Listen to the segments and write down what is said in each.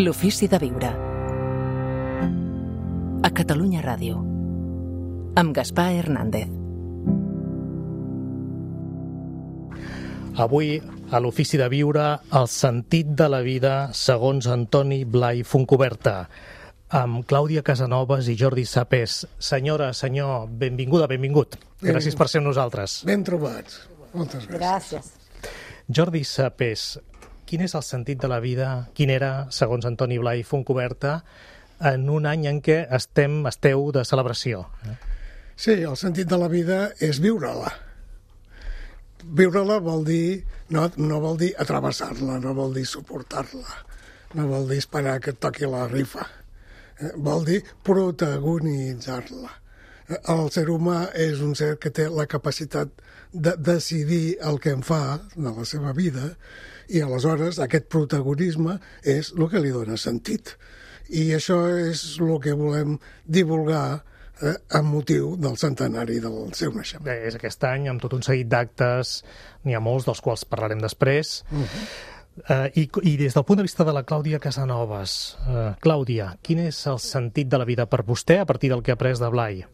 L'ofici de viure. A Catalunya Ràdio. Amb Gaspar Hernández. Avui, a l'Ofici de viure, el sentit de la vida segons Antoni Blai Fontcuberta, amb Clàudia Casanovas i Jordi Sapés. Senyora, senyor, benvinguda, benvingut. Gràcies per ser amb nosaltres. Ben trobats. Moltes gràcies. Gràcies. Jordi Sapés, quin és el sentit de la vida, quin era, segons Antoni Blai Fontcuberta, en un any en què esteu de celebració? Sí, el sentit de la vida és viure-la. Viure-la vol dir, no vol dir atravessar-la, no vol dir suportar-la, no vol dir esperar que et toqui la rifa, vol dir protagonitzar-la. El ser humà és un ser que té la capacitat de decidir el que en fa de la seva vida i aleshores aquest protagonisme és el que li dona sentit. I això és el que volem divulgar amb motiu del centenari del seu naixement. És aquest any, amb tot un seguit d'actes, n'hi ha molts, dels quals parlarem després. I des del punt de vista de la Clàudia Casanovas, Clàudia, quin és el sentit de la vida per vostè a partir del que ha après de Blai?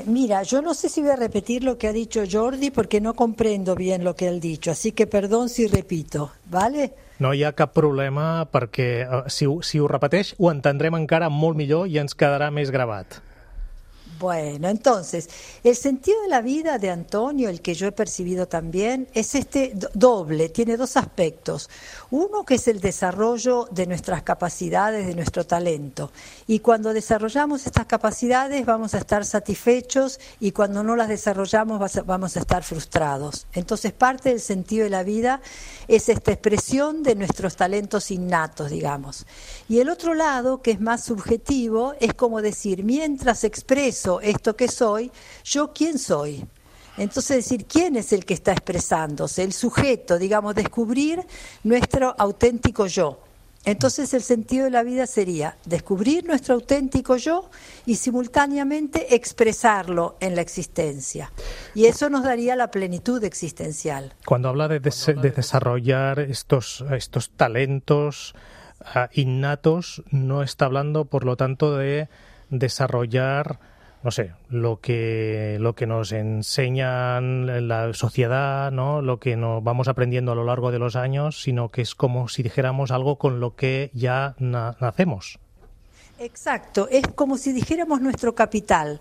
Mira, yo no sé si voy a repetir lo que ha dicho Jordi porque no comprendo bien lo que él ha dicho, así que perdón si repito, ¿vale? No hi ha cap problema perquè si ho repeteix ho entendrem encara molt millor i ens quedarà més gravat. Bueno, entonces, el sentido de la vida de Antonio, el que yo he percibido también, es doble, tiene dos aspectos. Uno que es el desarrollo de nuestras capacidades, de nuestro talento. Y cuando desarrollamos estas capacidades vamos a estar satisfechos y cuando no las desarrollamos vamos a estar frustrados. Entonces, parte del sentido de la vida es esta expresión de nuestros talentos innatos, digamos. Y el otro lado, que es más subjetivo, es como decir, mientras expreso esto que soy, ¿yo quién soy? Entonces decir, ¿quién es el que está expresándose? El sujeto, digamos, descubrir nuestro auténtico yo. Entonces el sentido de la vida sería descubrir nuestro auténtico yo y simultáneamente expresarlo en la existencia. Y eso nos daría la plenitud existencial. Cuando habla de desarrollar estos talentos innatos, no está hablando, por lo tanto, de desarrollar, no sé, lo que nos enseña la sociedad, ¿no? Lo que nos vamos aprendiendo a lo largo de los años, sino que es como si dijéramos algo con lo que ya nacemos. Exacto, es como si dijéramos nuestro capital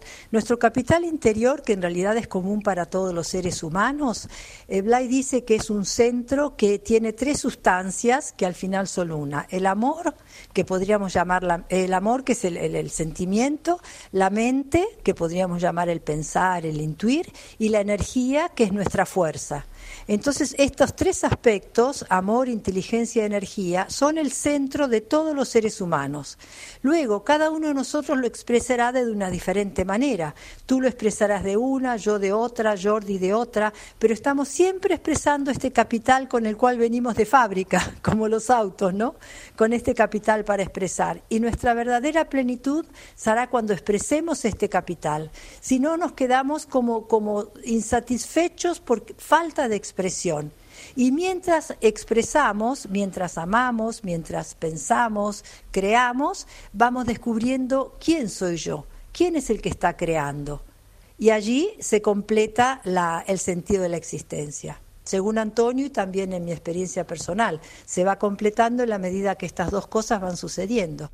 interior, que en realidad es común para todos los seres humanos. Blai dice que es un centro que tiene tres sustancias que al final son una: el amor, que podríamos llamar el amor, que es el sentimiento; la mente, que podríamos llamar el pensar, el intuir; y la energía, que es nuestra fuerza. Entonces, estos tres aspectos, amor, inteligencia y energía, son el centro de todos los seres humanos. Luego, cada uno de nosotros lo expresará de una diferente manera. Tú lo expresarás de una, yo de otra, Jordi de otra, pero estamos siempre expresando este capital con el cual venimos de fábrica, como los autos, ¿no? Con este capital para expresar. Y nuestra verdadera plenitud será cuando expresemos este capital. Si no, nos quedamos como insatisfechos por falta de expresión. Y mientras expresamos, mientras amamos, mientras pensamos, creamos, vamos descubriendo quién soy yo, quién es el que está creando. Y allí se completa el sentido de la existencia. Según Antonio y también en mi experiencia personal, se va completando en la medida que estas dos cosas van sucediendo.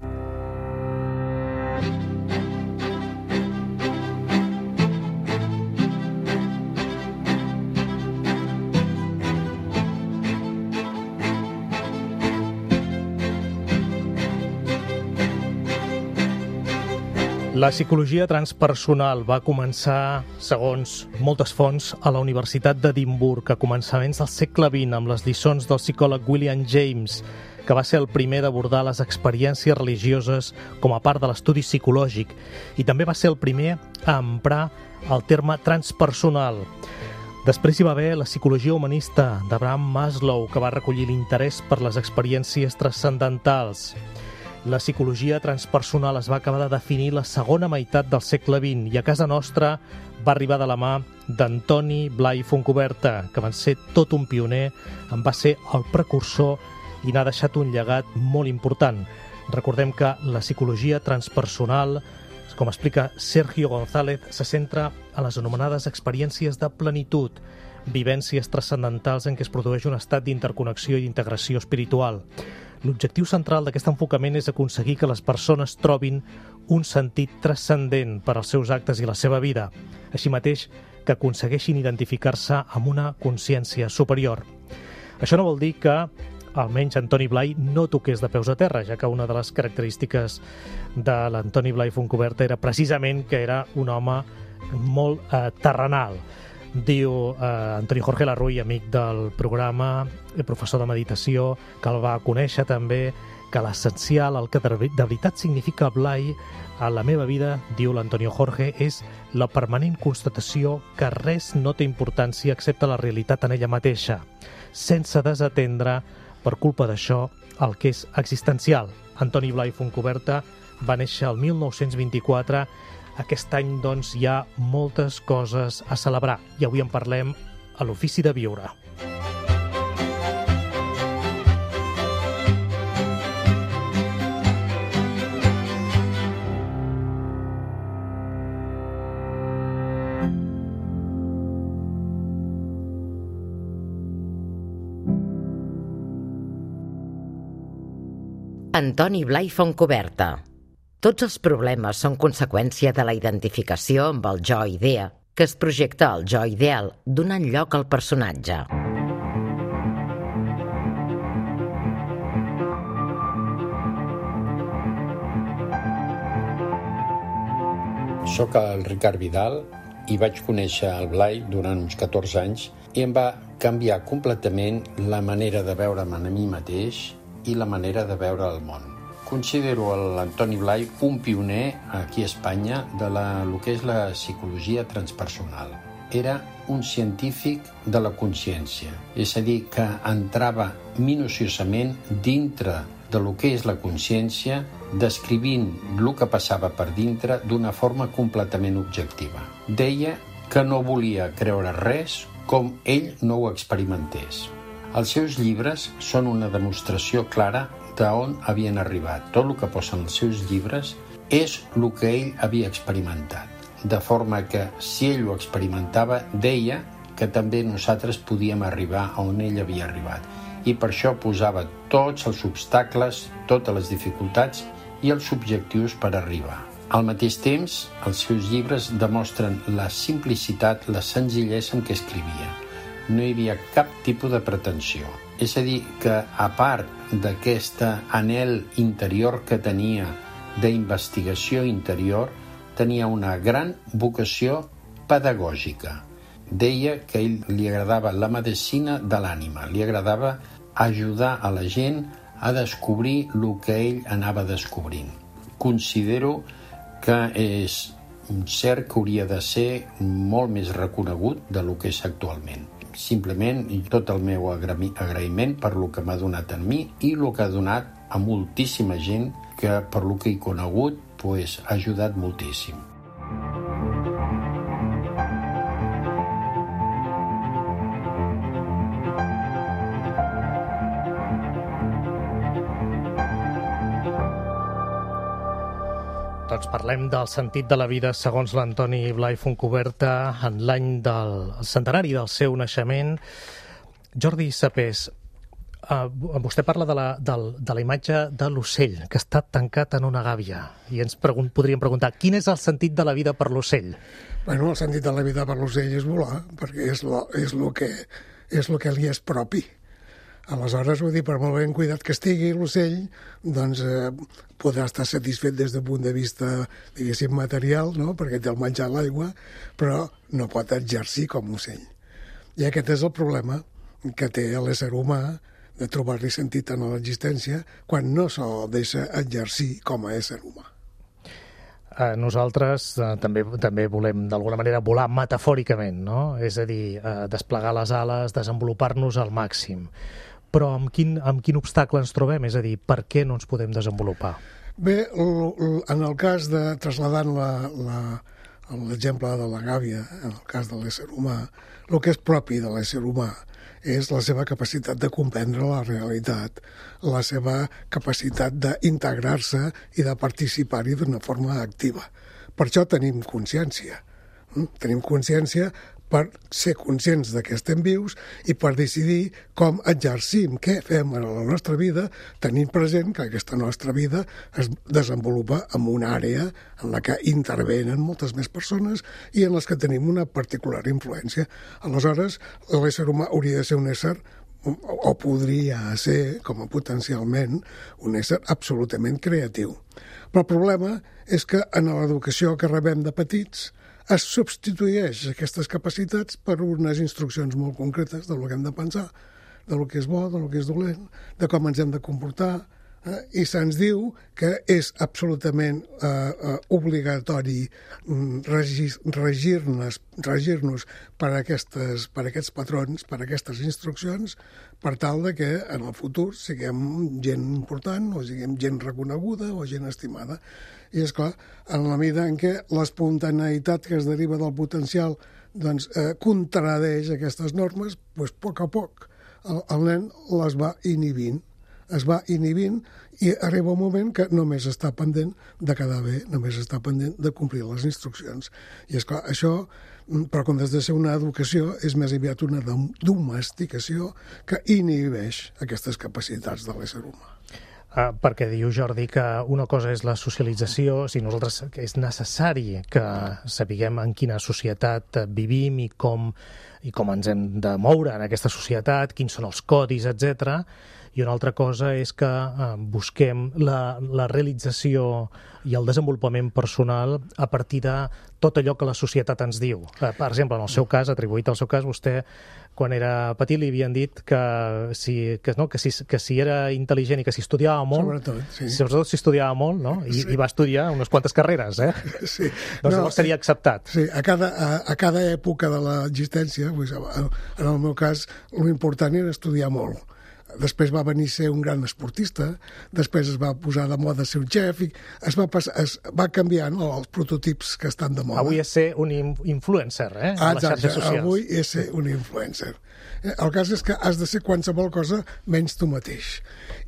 La psicologia transpersonal va començar, segons moltes fonts, a la Universitat d'Edimburg a començaments del segle XX amb les lliçons del psicòleg William James, que va ser el primer d'abordar les experiències religioses com a part de l'estudi psicològic i també va ser el primer a emprar el terme transpersonal. Després hi va haver la psicologia humanista d'Abraham Maslow, que va recollir l'interès per les experiències transcendentals. La psicologia transpersonal es va acabar de definir la segona meitat del segle XX i a casa nostra va arribar de la mà d'Antoni Blai Fontcuberta, que va ser tot un pioner, en va ser el precursor i n'ha deixat un llegat molt important. Recordem que la psicologia transpersonal, com explica Sergio González, se centra en les anomenades experiències de plenitud, vivències transcendentals en què es produeix un estat d'interconnexió i d'integració espiritual. L'objectiu central d'aquest enfocament és aconseguir que les persones trobin un sentit transcendent per als seus actes i la seva vida, així mateix que aconsegueixin identificar-se amb una consciència superior. Això no vol dir que almenys Antoni Blai no toqués de peus a terra, ja que una de les característiques de l'Antoni Blai Fontcuberta era precisament que era un home molt terrenal. Diu Antoni Jorge Larruy, amic del programa, professor de meditació, que el va conèixer també, que l'essencial, el que de veritat significa Blai a la meva vida, diu l'Antonio Jorge, és la permanent constatació que res no té importància excepte la realitat en ella mateixa, sense desatendre, per culpa d'això, el que és existencial. Antoni Blai Fontcuberta va néixer el 1924. Aquest any, doncs, hi ha moltes coses a celebrar i avui en parlem a l'Ofici de Viure. Antoni Blai Fontcuberta. Tots els problemes són conseqüència de la identificació amb el jo-idea, que es projecta al jo ideal, donant lloc al personatge. Soc el Ricard Vidal i vaig conèixer el Blai durant uns 14 anys i em va canviar completament la manera de veure'm a mi mateix i la manera de veure el món. Considero l'Antoni Blai un pioner aquí a Espanya de lo que és la psicologia transpersonal. Era un científic de la consciència, és a dir, que entrava minuciosament dintre de lo que és la consciència, descrivint el que passava per dintre d'una forma completament objectiva. Deia que no volia creure res com ell no ho experimentés. Els seus llibres són una demostració clara d'on havien arribat. Tot el que posa en els seus llibres és el que ell havia experimentat. De forma que, si ell ho experimentava, deia que també nosaltres podíem arribar a on ell havia arribat. I per això posava tots els obstacles, totes les dificultats i els objectius per arribar. Al mateix temps, els seus llibres demostren la simplicitat, la senzillesa amb què escrivia. No hi havia cap tipus de pretensió. És a dir, que a part d'aquest anhel interior que tenia d'investigació interior, tenia una gran vocació pedagògica. Deia que a ell li agradava la medicina de l'ànima, li agradava ajudar a la gent a descobrir el que ell anava descobrint. Considero que és cert que hauria de ser molt més reconegut de lo que és actualment. Simplement tot el meu agraïment per lo que m'ha donat a mi i el que ha donat a moltíssima gent que per lo que he conegut ha ajudat moltíssim. Doncs parlem del sentit de la vida segons l'Antoni Blai Fontcuberta en l'any del centenari del seu naixement. Jordi Sapés, vostè parla de la imatge de l'ocell que està tancat en una gàbia i ens podríem preguntar quin és el sentit de la vida per l'ocell? Bueno, el sentit de la vida per l'ocell és volar, perquè és el que li és propi. Aleshores, vull dir, per molt ben cuidat que estigui l'ocell, doncs podrà estar satisfet des del punt de vista, diguéssim, material, no? Perquè té el menjar, l'aigua, però no pot exercir com ocell. I aquest és el problema que té l'ésser humà de trobar-li sentit en l'existència quan no se'l deixa exercir com a ésser humà. Nosaltres també volem d'alguna manera volar metafòricament, no? És a dir, desplegar les ales, desenvolupar-nos al màxim. Però amb quin obstacle ens trobem? És a dir, per què no ens podem desenvolupar? Bé, en el cas de, trasladant l'exemple de la gàbia, en el cas de l'ésser humà, el que és propi de l'ésser humà és la seva capacitat de comprendre la realitat, la seva capacitat d'integrar-se i de participar-hi d'una forma activa. Per això tenim consciència. Tenim consciència per ser conscients de que estem vius i per decidir com exercim, què fem a la nostra vida, tenint present que aquesta nostra vida es desenvolupa en una àrea en la que intervenen moltes més persones i en les que tenim una particular influència. Aleshores, l'ésser humà hauria de ser un ésser, o podria ser, com a potencialment, un ésser absolutament creatiu. Però el problema és que en l'educació que rebem de petits es substitueix aquestes capacitats per unes instruccions molt concretes del que hem de pensar, del que és bo, del que és dolent, de com ens hem de comportar, i se'ns diu que és absolutament obligatori regir-nos per aquests patrons, per aquestes instruccions, per tal de que en el futur siguem gent important o siguem gent reconeguda o gent estimada. I, esclar, en la mida en què l'espontaneïtat que es deriva del potencial contradeix aquestes normes, doncs, a poc a poc el nen les va inhibint. Es va inhibint i arriba un moment que només està pendent de quedar bé, només està pendent de complir les instruccions. I, esclar, això, però quan has de ser una educació, és més aviat una domesticació que inhibeix aquestes capacitats de l'ésser humà. Perquè diu Jordi que una cosa és la socialització, si nosaltres és necessari que sapiguem en quina societat vivim i com ens hem de moure en aquesta societat, quins són els codis, etc. I una altra cosa és que busquem la realització i el desenvolupament personal a partir de tot allò que la societat ens diu. Per exemple, en el seu cas, atribuït al seu cas, vostè, quan era petit, li havien dit que si era intel·ligent i que si estudiava molt, sobretot si estudiava molt, no? I va estudiar unes quantes carreres, Sí. Doncs llavors seria acceptat. Sí, a cada època de l'existència, en el meu cas, l'important era estudiar molt. Després va venir ser un gran esportista, després es va posar de moda ser un xef i es va canviant els prototips que estan de moda. Avui és ser un influencer, a les xarxes socials. Avui és ser un influencer. El cas és que has de ser qualsevol cosa menys tu mateix.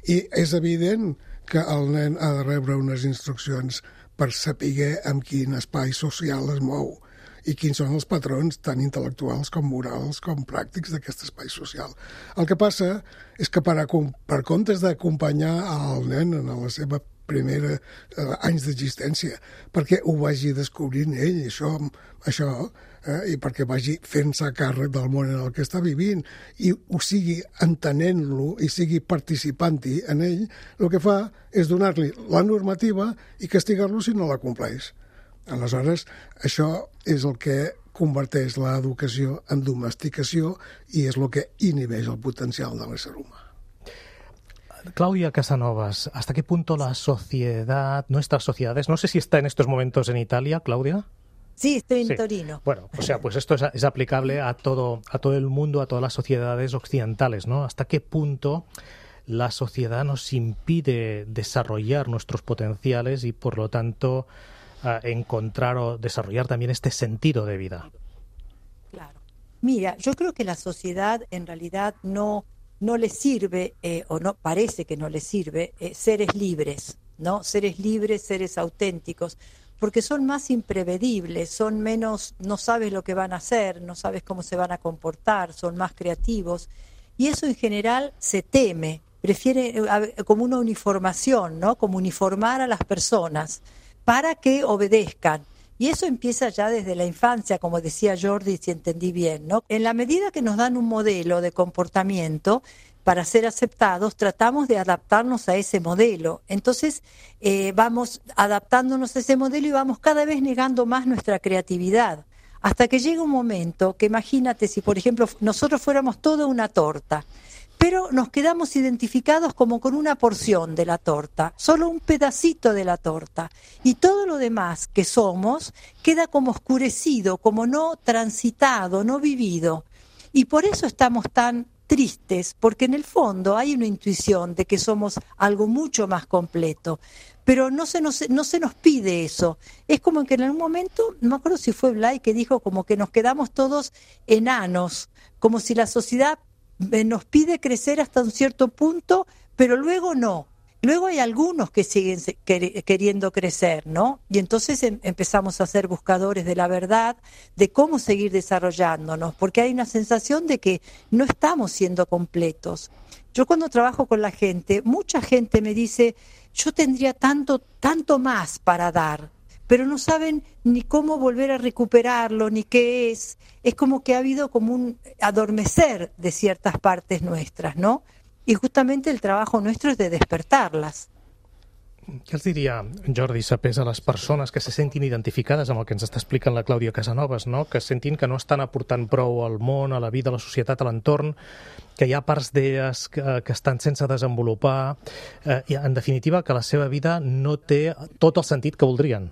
I és evident que el nen ha de rebre unes instruccions per saber en quin espai social es mou i quins són els patrons tant intel·lectuals com morals com pràctics d'aquest espai social. El que passa és que per comptes d'acompanyar el nen en la seva primera anys d'existència, perquè ho vagi descobrint ell, això i perquè vagi fent-se càrrec del món en el que està vivint i ho sigui entenent-lo i sigui participant-hi en ell, el que fa és donar-li la normativa i castigar-lo si no la compleix. Aleshores, això és el que converteix l'educació en domesticació y es lo que inhibe el potencial del ser humano. Claudia Casanovas, ¿hasta qué punto la sociedad, nuestras sociedades, no sé si está en estos momentos en Italia, Claudia? Sí, estoy en Torino. Bueno, o sea, pues esto es aplicable a todo el mundo, a todas las sociedades occidentales, ¿no? ¿Hasta qué punto la sociedad nos impide desarrollar nuestros potenciales y, por lo tanto, encontrar o desarrollar también este sentido de vida? Claro. Mira, yo creo que la sociedad en realidad no le sirve, o no parece que no le sirve, seres libres, ¿no? Seres libres, seres auténticos, porque son más imprevedibles, son menos, no sabes lo que van a hacer, no sabes cómo se van a comportar, son más creativos, y eso en general se teme, prefiere como una uniformación, ¿no? Como uniformar a las personas para que obedezcan. Y eso empieza ya desde la infancia, como decía Jordi, si entendí bien, ¿no? En la medida que nos dan un modelo de comportamiento para ser aceptados, tratamos de adaptarnos a ese modelo. Entonces vamos adaptándonos a ese modelo y vamos cada vez negando más nuestra creatividad. Hasta que llega un momento que imagínate si, por ejemplo, nosotros fuéramos toda una torta, pero nos quedamos identificados como con una porción de la torta, solo un pedacito de la torta. Y todo lo demás que somos queda como oscurecido, como no transitado, no vivido. Y por eso estamos tan tristes, porque en el fondo hay una intuición de que somos algo mucho más completo. Pero no se nos pide eso. Es como que en algún momento, no me acuerdo si fue Blay que dijo como que nos quedamos todos enanos, como si la sociedad nos pide crecer hasta un cierto punto, pero luego no. Luego hay algunos que siguen queriendo crecer, ¿no? Y entonces empezamos a ser buscadores de la verdad, de cómo seguir desarrollándonos, porque hay una sensación de que no estamos siendo completos. Yo cuando trabajo con la gente, mucha gente me dice, yo tendría tanto más para dar, pero no saben ni cómo volver a recuperarlo, ni qué es. Es como que ha habido como un adormecer de ciertas partes nuestras, ¿no? I justament el trabajo nuestro és de despertar-les. Què els diria, Jordi Sapés, a les persones que se sentin identificades amb el que ens està explicant la Clàudia Casanovas, no? Que sentin que no estan aportant prou al món, a la vida, a la societat, a l'entorn, que hi ha parts d'elles que estan sense desenvolupar, i en definitiva que la seva vida no té tot el sentit que voldrien?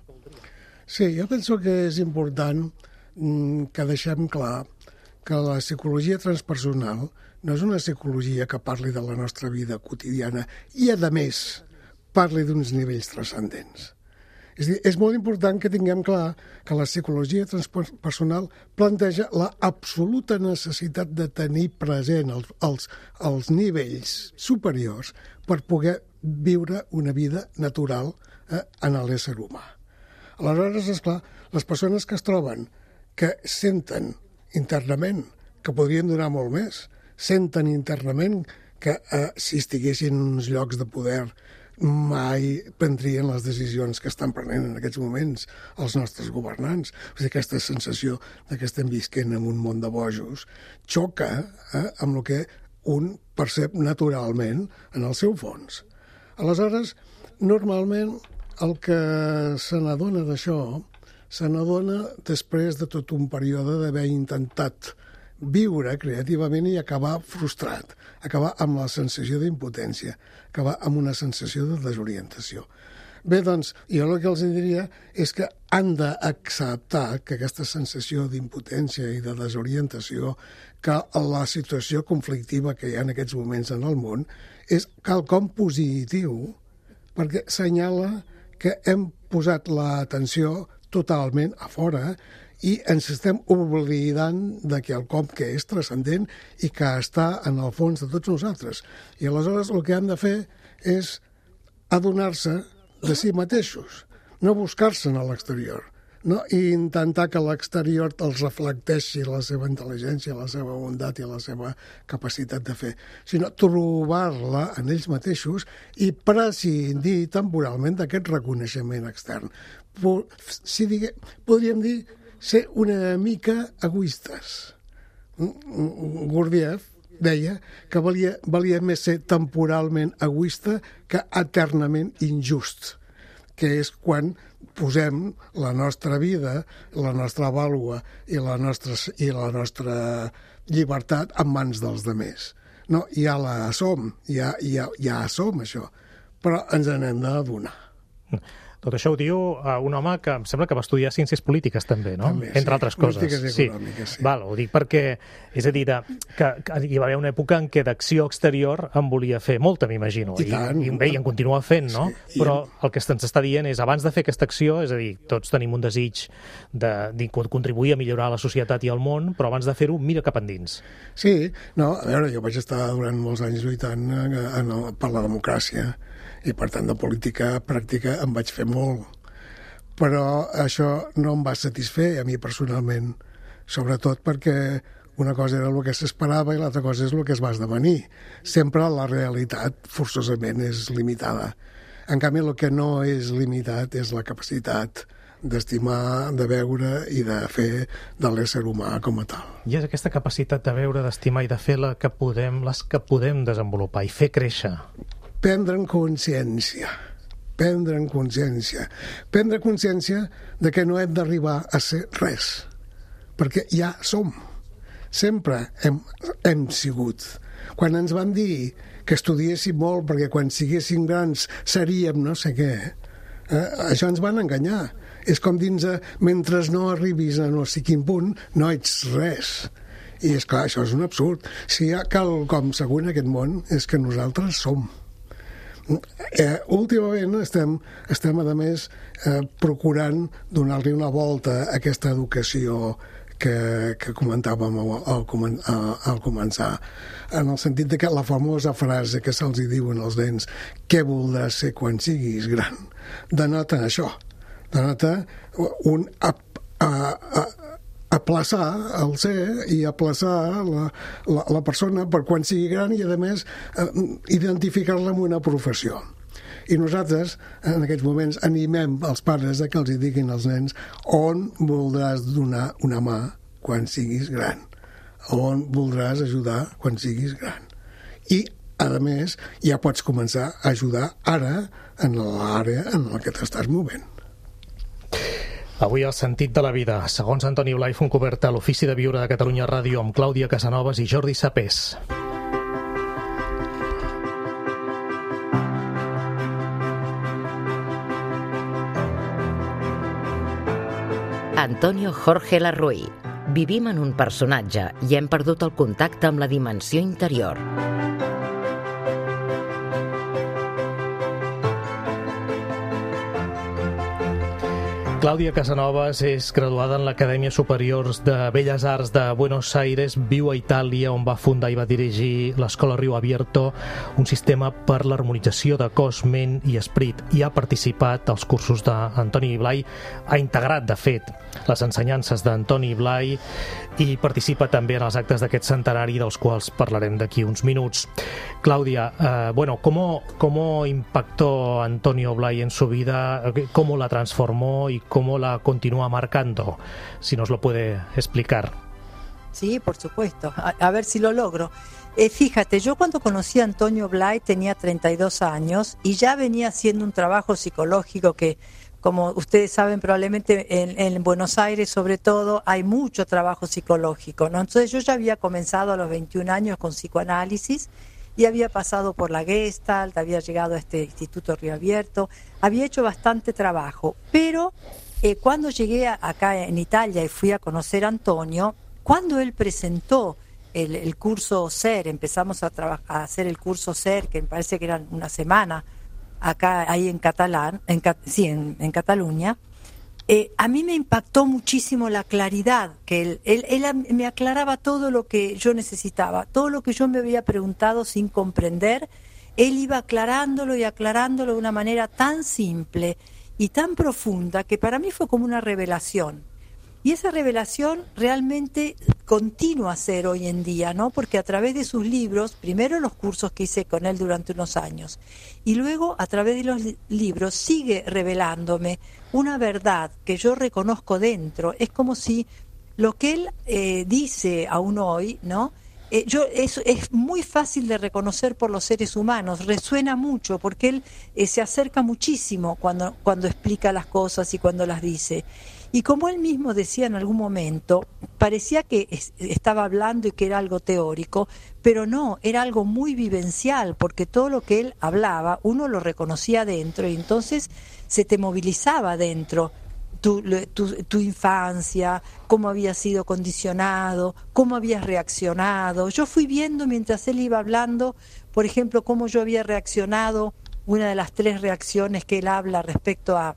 Sí, jo penso que és important que deixem clar que la psicologia transpersonal no és una psicologia que parli de la nostra vida quotidiana i, a més, parli d'uns nivells transcendents. És a dir, és molt important que tinguem clar que la psicologia transpersonal planteja la absoluta necessitat de tenir present els nivells superiors per poder viure una vida natural en l'ésser humà. Aleshores, esclar, les persones que es troben, que senten internament que podrien donar molt més, senten internament que si estiguessin en uns llocs de poder mai prendrien les decisions que estan prenent en aquests moments els nostres governants. O sigui, aquesta sensació que estem visquent en un món de bojos xoca amb el que un percep naturalment en el seu fons. Aleshores, normalment el que se n'adona d'això se n'adona després de tot un període d'haver intentat viure creativament i acabar frustrat, acabar amb la sensació d'impotència, acabar amb una sensació de desorientació. Bé, doncs, jo el que els diria és que han d'acceptar que aquesta sensació d'impotència i de desorientació, que la situació conflictiva que hi ha en aquests moments en el món, és quelcom positiu, perquè assenyala que hem posat l'atenció totalment a fora i ens estem oblidant de quelcom que és transcendent i que està en el fons de tots nosaltres. I aleshores el que han de fer és adonar-se de si mateixos, no buscar-se'n a l'exterior, no? I intentar que l'exterior els reflecteixi la seva intel·ligència, la seva bondat i la seva capacitat de fer, sinó trobar-la en ells mateixos i prescindir temporalment d'aquest reconeixement extern. Podríem dir ser una mica egoistes. Gurdjieff deia que valia més ser temporalment egoista que eternament injust, que és quan posem la nostra vida, la nostra vàlua i la nostra llibertat en mans dels altres. No, ja la som, ja som això, però ens n'hem d'adonar. Tot això ho diu un home que em sembla que va estudiar ciències polítiques també, no? També, entre altres coses. Polítiques i econòmiques, sí. Val, ho dic perquè, és a dir, que hi va haver una època en què d'acció exterior en volia fer molta, m'imagino. I en continua fent, no? Sí, però el que ens està dient és, abans de fer aquesta acció, és a dir, tots tenim un desig de contribuir a millorar la societat i el món, però abans de fer-ho, mira cap endins. Sí, no, a veure, jo vaig estar durant molts anys lluitant per la democràcia, i per tant de política pràctica en vaig fer molt. Però això no em va satisfer a mi personalment, sobretot perquè una cosa era el que s'esperava i l'altra cosa és el que es va esdevenir. Sempre la realitat forçosament és limitada. En canvi, el que no és limitat és la capacitat d'estimar, de veure i de fer de l'ésser humà com a tal. I és aquesta capacitat de veure, d'estimar i de fer les que podem desenvolupar i fer créixer. Prendre consciència de que no hem d'arribar a ser res, perquè ja som. Sempre hem sigut. Quan ens van dir que estudiéssim molt perquè quan siguéssim grans seríem no sé què, això ens van enganyar. És com dir-nos, mentre no arribis a no sé quin punt, no ets res. I és clar, això és un absurd. Si hi ha quelcom segur en aquest món és que nosaltres som. Últimament estem a més procurant donar-li una volta a aquesta educació que comentàvem al començar, en el sentit de que la famosa frase que se'ls diuen als nens, què voldràs ser quan siguis gran, denota això, denota un aplaçar el ser i aplaçar la persona per quan sigui gran i, a més, identificar-la amb una professió. I nosaltres, en aquests moments, animem els pares que els diguin als nens on voldràs donar una mà quan siguis gran, on voldràs ajudar quan siguis gran. I, a més, ja pots començar a ajudar ara en l'àrea en la que t'estàs movent. Avui el sentit de la vida, segons Antoni Blai, Fontcoberta, a l'Ofici de Viure de Catalunya Ràdio, amb Clàudia Casanovas i Jordi Sapés. Antonio Jorge Larruy. Vivim en un personatge i hem perdut el contacte amb la dimensió interior. Clàudia Casanovas és graduada en l'Acadèmia Superior de Belles Arts de Buenos Aires, viu a Itàlia, on va fundar i va dirigir l'Escola Rio Abierto, un sistema per l'harmonització de cos, ment i esperit, i ha participat als cursos d'Antoni Blai, ha integrat, de fet, les ensenyances d'Antoni Blai i participa també en els actes d'aquest centenari, dels quals parlarem d'aquí uns minuts. Claudia, ¿cómo impactó Antonio Blai en su vida? ¿Cómo la transformó y cómo la continúa marcando? Si nos lo puede explicar. Sí, por supuesto. A ver si lo logro. Fíjate, yo cuando conocí a Antonio Blai tenía 32 años y ya venía haciendo un trabajo psicológico que, como ustedes saben, probablemente en Buenos Aires, sobre todo, hay mucho trabajo psicológico, ¿no? Entonces yo ya había comenzado a los 21 años con psicoanálisis y había pasado por la Gestalt, había llegado a este Instituto Río Abierto, había hecho bastante trabajo, pero cuando llegué acá en Italia y fui a conocer a Antonio, cuando él presentó el curso SER, empezamos a hacer el curso SER, que me parece que era una semana, acá ahí en Cataluña, a mí me impactó muchísimo la claridad, que él me aclaraba todo lo que yo necesitaba, todo lo que yo me había preguntado sin comprender, él iba aclarándolo y aclarándolo de una manera tan simple y tan profunda que para mí fue como una revelación. Y esa revelación realmente continúa a ser hoy en día, ¿no? Porque a través de sus libros, primero los cursos que hice con él durante unos años, y luego a través de los libros sigue revelándome una verdad que yo reconozco dentro. Es como si lo que él dice aún hoy, ¿no? Es muy fácil de reconocer por los seres humanos, resuena mucho, porque él se acerca muchísimo cuando explica las cosas y cuando las dice. Y como él mismo decía en algún momento, parecía que estaba hablando y que era algo teórico, pero no, era algo muy vivencial, porque todo lo que él hablaba, uno lo reconocía dentro y entonces se te movilizaba dentro. Tu infancia, cómo habías sido condicionado, cómo habías reaccionado. Yo fui viendo mientras él iba hablando, por ejemplo, cómo yo había reaccionado, una de las 3 reacciones que él habla respecto a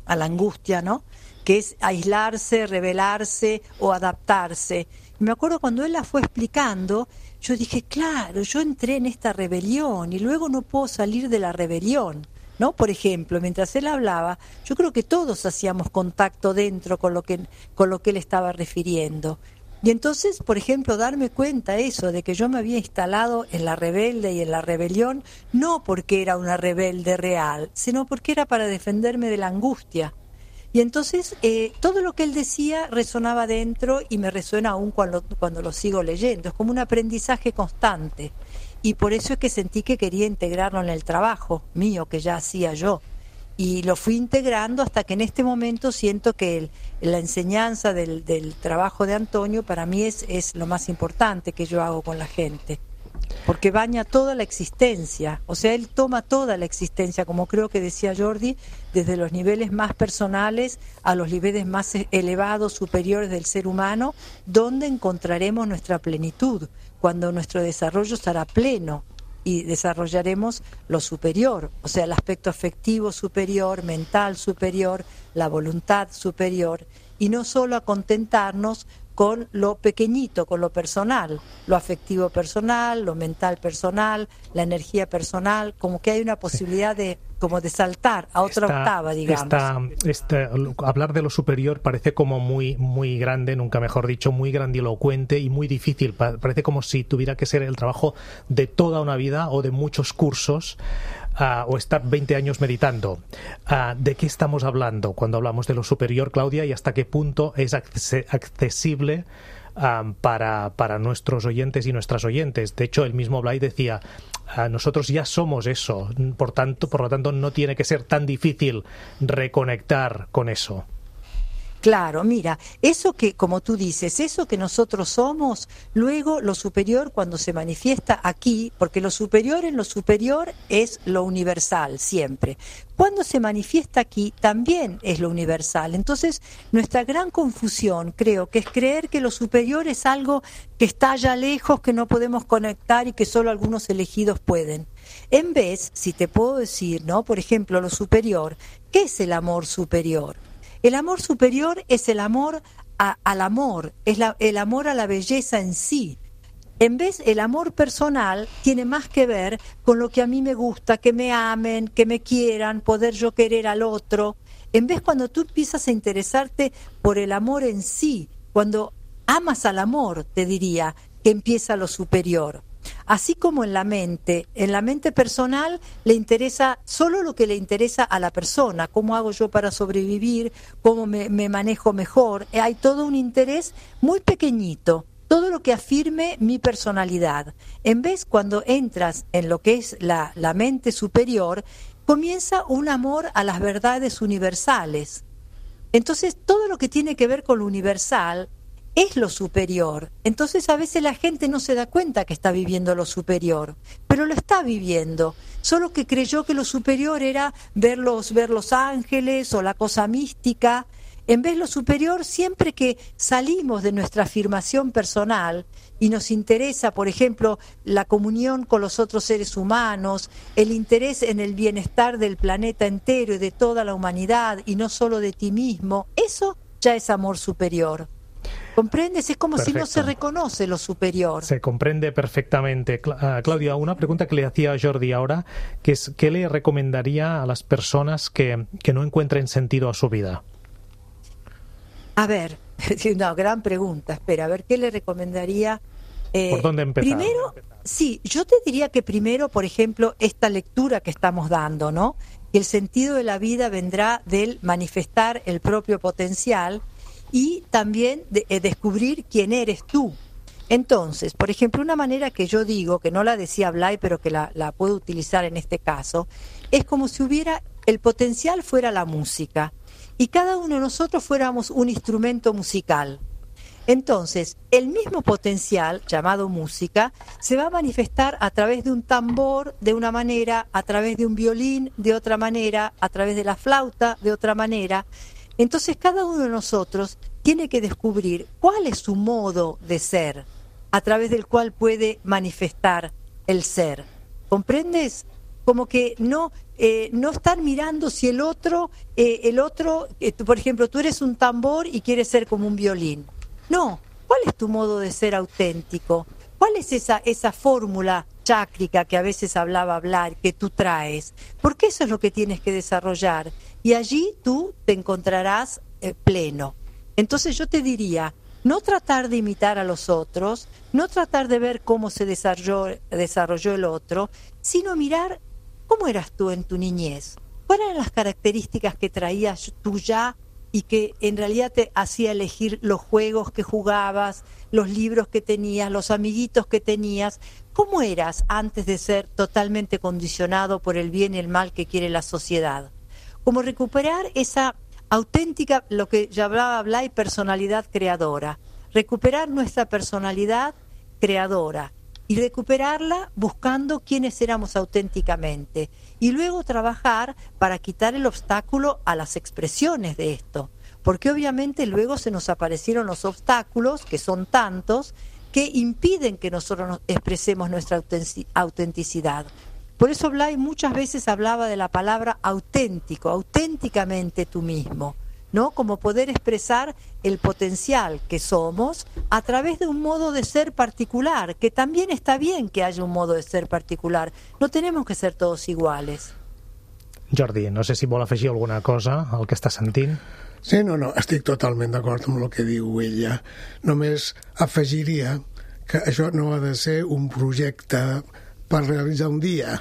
la angustia, ¿no? Que es aislarse, rebelarse o adaptarse. Y me acuerdo cuando él la fue explicando, yo dije, claro, yo entré en esta rebelión y luego no puedo salir de la rebelión, ¿no? Por ejemplo, mientras él hablaba, yo creo que todos hacíamos contacto dentro con lo que él estaba refiriendo. Y entonces, por ejemplo, darme cuenta eso, de que yo me había instalado en la rebelde y en la rebelión, no porque era una rebelde real, sino porque era para defenderme de la angustia. Y entonces todo lo que él decía resonaba dentro y me resuena aún cuando lo sigo leyendo. Es como un aprendizaje constante. Y por eso es que sentí que quería integrarlo en el trabajo mío, que ya hacía yo. Y lo fui integrando hasta que en este momento siento que la enseñanza del trabajo de Antonio para mí es lo más importante que yo hago con la gente. Porque baña toda la existencia, o sea, él toma toda la existencia, como creo que decía Jordi, desde los niveles más personales a los niveles más elevados, superiores del ser humano, donde encontraremos nuestra plenitud, cuando nuestro desarrollo estará pleno y desarrollaremos lo superior, o sea, el aspecto afectivo superior, mental superior, la voluntad superior, y no solo a contentarnos con lo pequeñito, con lo personal, lo afectivo personal, lo mental personal, la energía personal, como que hay una posibilidad de saltar a otra octava, digamos. Hablar de lo superior parece como muy, muy grande, nunca mejor dicho, muy grandilocuente y muy difícil. Parece como si tuviera que ser el trabajo de toda una vida o de muchos cursos. O estar 20 años meditando. ¿De qué estamos hablando cuando hablamos de lo superior, Claudia, y hasta qué punto es accesible para nuestros oyentes y nuestras oyentes? De hecho, el mismo Blay decía, nosotros ya somos eso, por lo tanto no tiene que ser tan difícil reconectar con eso. Claro, mira, eso que, como tú dices, eso que nosotros somos, luego lo superior cuando se manifiesta aquí, porque lo superior en lo superior es lo universal siempre. Cuando se manifiesta aquí también es lo universal. Entonces, nuestra gran confusión, creo, que es creer que lo superior es algo que está allá lejos, que no podemos conectar y que solo algunos elegidos pueden. En vez, si te puedo decir, ¿no? Por ejemplo, lo superior, ¿qué es el amor superior? El amor superior es el amor al amor, es el amor a la belleza en sí. En vez, el amor personal tiene más que ver con lo que a mí me gusta, que me amen, que me quieran, poder yo querer al otro. En vez, cuando tú empiezas a interesarte por el amor en sí, cuando amas al amor, te diría, que empieza lo superior. Así como en la mente personal le interesa solo lo que le interesa a la persona, cómo hago yo para sobrevivir, cómo me manejo mejor. Hay todo un interés muy pequeñito, todo lo que afirme mi personalidad. En vez, cuando entras en lo que es la mente superior, comienza un amor a las verdades universales. Entonces, todo lo que tiene que ver con lo universal es lo superior. Entonces a veces la gente no se da cuenta que está viviendo lo superior, pero lo está viviendo, solo que creyó que lo superior era ver los ángeles o la cosa mística. En vez, lo superior, siempre que salimos de nuestra afirmación personal y nos interesa, por ejemplo, la comunión con los otros seres humanos, el interés en el bienestar del planeta entero y de toda la humanidad y no solo de ti mismo, eso ya es amor superior. ¿Comprendes? Es como Perfecto. Si no se reconoce lo superior. Se comprende perfectamente. Claudia, una pregunta que le hacía a Jordi ahora, que es, ¿qué le recomendaría a las personas que no encuentren sentido a su vida? A ver, una gran pregunta. Espera, a ver, ¿qué le recomendaría? ¿Por dónde empezar? Primero, sí, yo te diría que primero, por ejemplo, esta lectura que estamos dando, ¿no? Que el sentido de la vida vendrá del manifestar el propio potencial y también descubrir quién eres tú. Entonces, por ejemplo, una manera que yo digo, que no la decía Blay, pero que la puedo utilizar en este caso, es como si el potencial fuera la música y cada uno de nosotros fuéramos un instrumento musical. Entonces, el mismo potencial, llamado música, se va a manifestar a través de un tambor de una manera, a través de un violín de otra manera, a través de la flauta de otra manera. Entonces cada uno de nosotros tiene que descubrir cuál es su modo de ser, a través del cual puede manifestar el ser. ¿Comprendes? Como que no estar mirando si el otro, por ejemplo, tú eres un tambor y quieres ser como un violín. No, ¿cuál es tu modo de ser auténtico? ¿Cuál es esa fórmula chácrica que a veces hablaba hablar, que tú traes? Porque eso es lo que tienes que desarrollar. Y allí tú te encontrarás pleno. Entonces yo te diría, no tratar de imitar a los otros, no tratar de ver cómo se desarrolló el otro, sino mirar cómo eras tú en tu niñez. ¿Cuáles eran las características que traías tú ya y que en realidad te hacía elegir los juegos que jugabas, los libros que tenías, los amiguitos que tenías? ¿Cómo eras antes de ser totalmente condicionado por el bien y el mal que quiere la sociedad? Como recuperar esa auténtica, lo que ya hablaba Blay, personalidad creadora. Recuperar nuestra personalidad creadora y recuperarla buscando quiénes éramos auténticamente. Y luego trabajar para quitar el obstáculo a las expresiones de esto. Porque obviamente luego se nos aparecieron los obstáculos, que son tantos, que impiden que nosotros nos expresemos nuestra autenticidad. Por eso Blay muchas veces hablaba de la palabra auténtico, auténticamente tú mismo. ¿no? Como poder expresar el potencial que somos a través de un modo de ser particular, que también está bien que haya un modo de ser particular. No tenemos que ser todos iguales. Jordi, no sé si vol afegir alguna cosa al que està sentint. Sí, no, estic totalment d'acord amb el que diu ella. Només afegiria que això no ha de ser un projecte per realitzar un dia,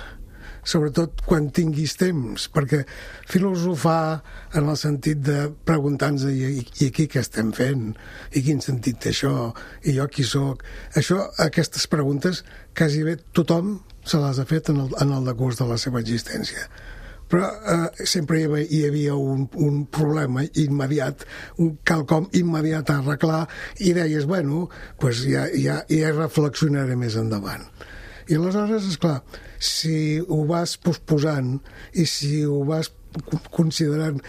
sobretot quan tinguis temps, perquè filosofar en el sentit de preguntar-nos i aquí què estem fent, i quin sentit té això, i jo qui sóc, aquestes preguntes quasi bé tothom se les ha fet en el decurs de la seva existència. Però sempre hi havia un problema immediat, un quelcom immediat a arreglar, i deies, bueno, pues ja reflexionaré més endavant. I aleshores, esclar, si ho vas posposant i si ho vas considerant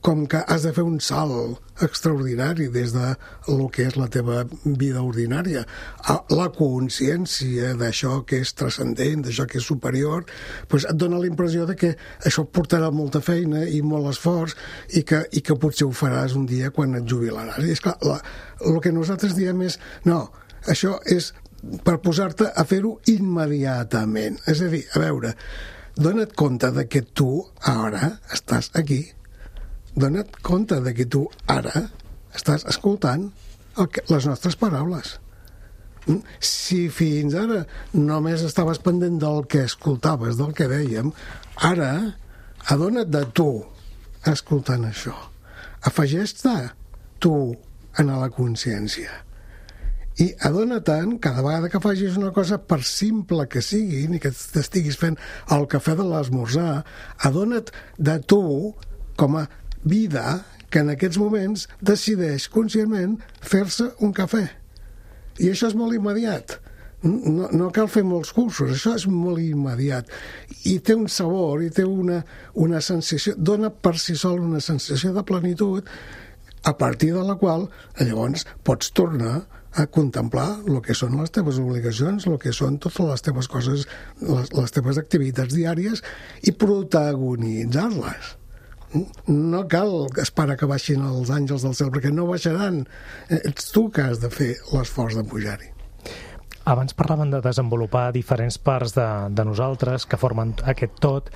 com que has de fer un salt extraordinari des de el que és la teva vida ordinària a la consciència d'això que és transcendent, d'això que és superior, doncs et dona la impressió de que això portarà molta feina i molt esforç i que potser ho faràs un dia quan et jubilaràs. I esclar, el que nosaltres diem és, no, això és per posar-te a fer-ho immediatament. És a dir, a veure, dona't compte de que tu ara estàs aquí. Dona't compte de que tu ara estàs escoltant les nostres paraules. Si fins ara només estaves pendent del que escoltaves, del que dèiem, ara adona't de tu escoltant això. Afegeix-te tu en la consciència. I adona't, cada vegada que facis una cosa, per simple que sigui, ni que t'estiguis fent el cafè de l'esmorzar, adona't de tu com a vida que en aquests moments decideix conscientment fer-se un cafè. I això és molt immediat. No cal fer molts cursos, això és molt immediat. I té un sabor, i té una sensació, dona per si sol una sensació de plenitud, a partir de la qual llavors pots tornar a contemplar el que són les teves obligacions, el que són totes les teves coses, les teves activitats diàries i protagonitzar-les. No cal esperar que baixin els àngels del cel, perquè no baixaran. Ets tu que has de fer l'esforç de pujar-hi. Abans parlaven de desenvolupar diferents parts de nosaltres que formen aquest tot.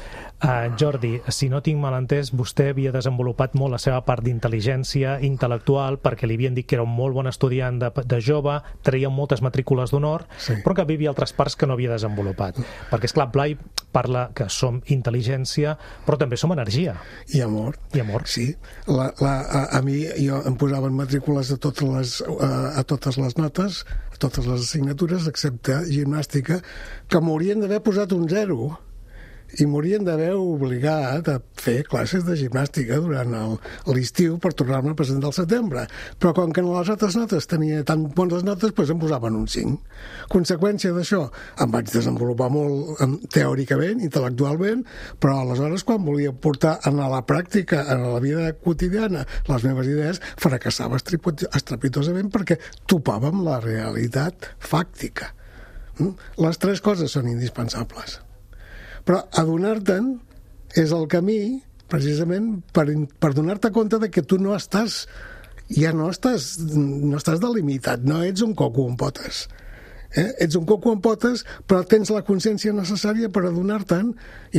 Jordi, si no tinc mal entès, vostè havia desenvolupat molt la seva part d'intel·ligència intel·lectual perquè li havien dit que era un molt bon estudiant de jove, treia moltes matrícules d'honor, sí, però que hi havia altres parts que no havia desenvolupat. Perquè, esclar, Blai parla que som intel·ligència, però també som energia. I amor. I amor. Sí. A mi em posaven matrícules a totes les notes, a totes les assignatures, excepte gimnàstica, que m'haurien d'haver posat un 0 i m'haurien d'haver obligat a fer classes de gimnàstica durant l'estiu per tornar-me a presentar al setembre. Però com que en les altres notes tenia tan bones notes, doncs em posaven un 5. Conseqüència d'això, em vaig desenvolupar molt teòricament, intel·lectualment, però aleshores quan volia portar a la pràctica, a la vida quotidiana, les meves idees, fracassava estrepitosament perquè topava amb la realitat fàctica. Les tres coses són indispensables. Però adonar-te'n és el camí, precisament, per donar-te compte de que tu no estàs delimitat, no ets un coco amb potes. Ets un coco amb potes, però tens la consciència necessària per adonar-te'n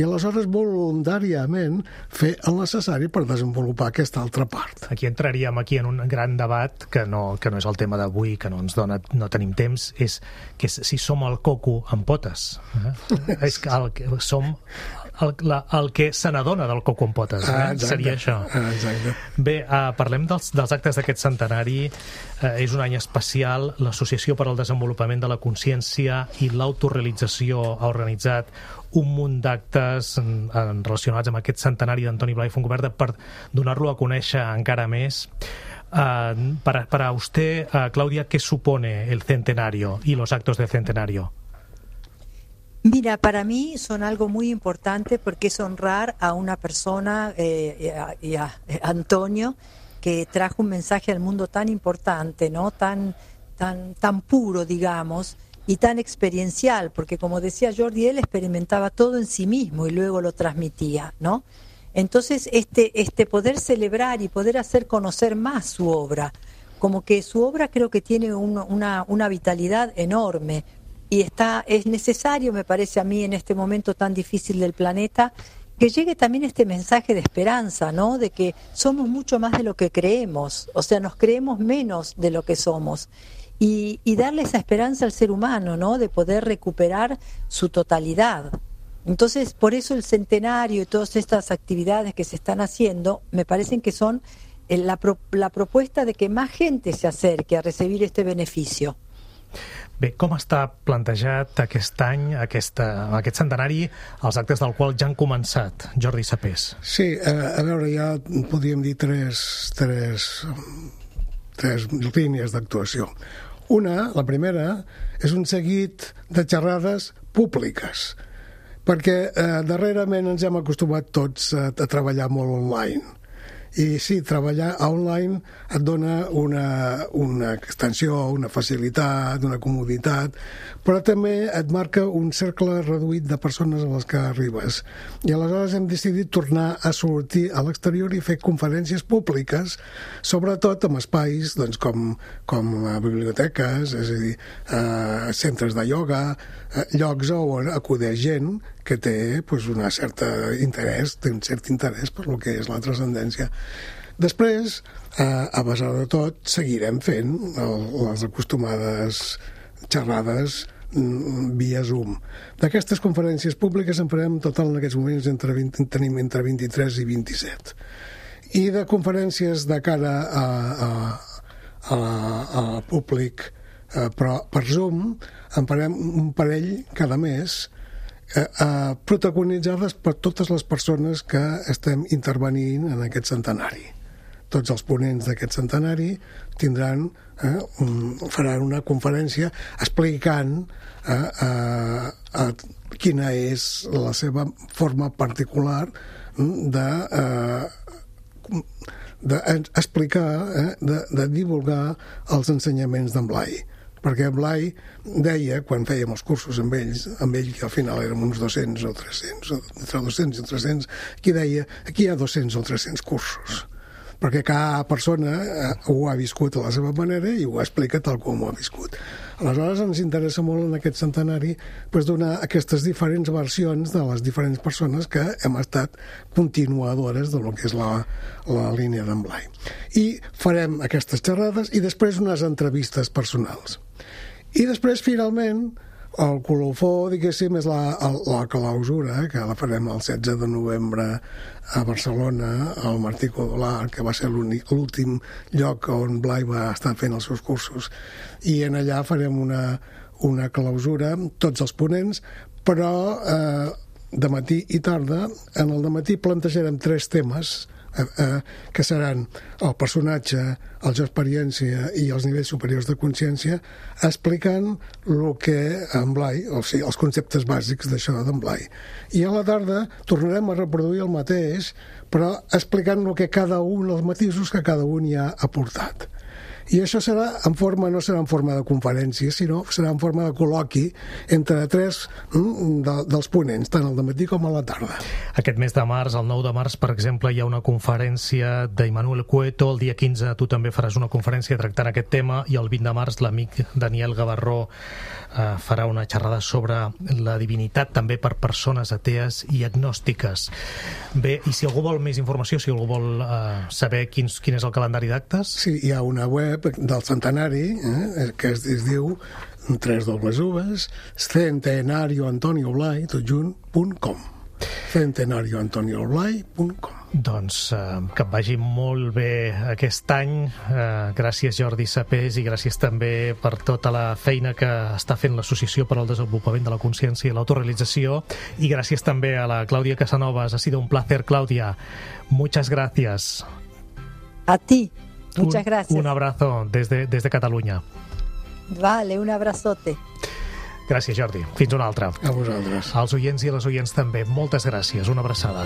i aleshores voluntàriament fer el necessari per desenvolupar aquesta altra part. Aquí entraríem en un gran debat que no és el tema d'avui, que no tenim temps, és si som el coco amb potes. És que som el que se n'adona del coco amb potes. Seria això. Exacte. Bé, parlem dels actes d'aquest centenari. És un any especial. L'Associació per al Desenvolupament de la Consciència i l'Autorealització ha organitzat un munt d'actes relacionats amb aquest centenari d'Antoni Blai Fontcuberta per donar-lo a conèixer encara més. Para usted, Claudia, ¿qué supone el centenario y los actos del centenario? Mira, para mí son algo muy importante porque es honrar a una persona, y a Antonio, que trajo un mensaje al mundo tan importante, ¿no? Tan puro, digamos, y tan experiencial, porque como decía Jordi, él experimentaba todo en sí mismo y luego lo transmitía, ¿no? Entonces, poder celebrar y poder hacer conocer más su obra, como que su obra creo que tiene una vitalidad enorme y es necesario, me parece a mí, en este momento tan difícil del planeta, que llegue también este mensaje de esperanza, ¿no? De que somos mucho más de lo que creemos, o sea, nos creemos menos de lo que somos. Y darle esa esperanza al ser humano, ¿no? De poder recuperar su totalidad. Entonces, por eso el centenario y todas estas actividades que se están haciendo, me parecen que son la propuesta de que más gente se acerque a recibir este beneficio. Bé, com està plantejat aquest any, aquest centenari, els actes del qual ja han començat? Jordi Sapés. Sí, a veure, ja podríem dir tres línies d'actuació. La primera, és un seguit de xerrades públiques, perquè darrerament ens hem acostumat tots a treballar molt online. I sí, treballar online et dona una extensió, una facilitat, una comoditat, però també et marca un cercle reduït de persones a les que arribes. I aleshores hem decidit tornar a sortir a l'exterior i fer conferències públiques, sobretot en espais doncs, com biblioteques, és a dir, centres de ioga, llocs on acudeix gent que té un cert interès per lo que és la transcendència. Després, a pesar de tot, seguirem fent les acostumades xerrades via Zoom. D'aquestes conferències públiques en farem total en aquests moments tenim entre 23 i 27. I de conferències de cara al públic, però per Zoom en farem un parell cada mes, protagonitzades per totes les persones que estem intervenint en aquest centenari. Tots els ponents d'aquest centenari faran una conferència explicant quina és la seva forma particular d'explicar, de divulgar els ensenyaments d'en Blai. Perquè Blai deia, quan fèiem els cursos amb ell que al final érem uns 200 o 300, entre 200 i 300, aquí deia, aquí hi ha 200 o 300 cursos, perquè cada persona ho ha viscut a la seva manera i ho explica tal com ho ha viscut. Aleshores ens interessa molt en aquest centenari donar aquestes diferents versions de les diferents persones que hem estat continuadores del que és la línia d'en Blai. I farem aquestes xerrades i després unes entrevistes personals. I després, finalment, el colofó, diguéssim, és la clausura, que la farem el 16 de novembre a Barcelona, al Martí Codolar, que va ser l'últim lloc on Blai va estar fent els seus cursos. I en allà farem una clausura, tots els ponents, però de matí i tarda. En el de matí plantejarem 3 temes, que seran el personatge, el jo experiència i els nivells superiors de consciència, explicant el que en Blai, o sigui, els conceptes bàsics d'això d'en Blai. I a la tarda tornarem a reproduir el mateix, però explicant el que cada un, els matisos que cada un hi ha aportat. I això no serà en forma de conferència, sinó serà en forma de col·loqui entre 3 dels ponents, tant al dematí com a la tarda. Aquest mes de març, el 9 de març, per exemple, hi ha una conferència d'Immanuel Cueto, el dia 15 tu també faràs una conferència tractant aquest tema, i el 20 de març l'amic Daniel Gavarró farà una xerrada sobre la divinitat també per persones atees i agnòstiques. Bé, i si algú vol més informació, si algú vol saber quin és el calendari d'actes? Sí, hi ha una web del centenari que es diu centenarioantonioblai.com centenarioantonioblai.com. Doncs que et vagi molt bé aquest any. Gràcies, Jordi Sapés, i gràcies també per tota la feina que està fent l'Associació per al Desenvolupament de la Consciència i l'Autorealització, i gràcies també a la Clàudia Casanovas. Ha sido un placer, Clàudia. Muchas gracias. A ti. Muchas gracias. Un abrazo desde Catalunya. Vale, un abrazote. Gràcies, Jordi. Fins una altra. A vosaltres. Als oients i a les oients també, moltes gràcies. Una abraçada.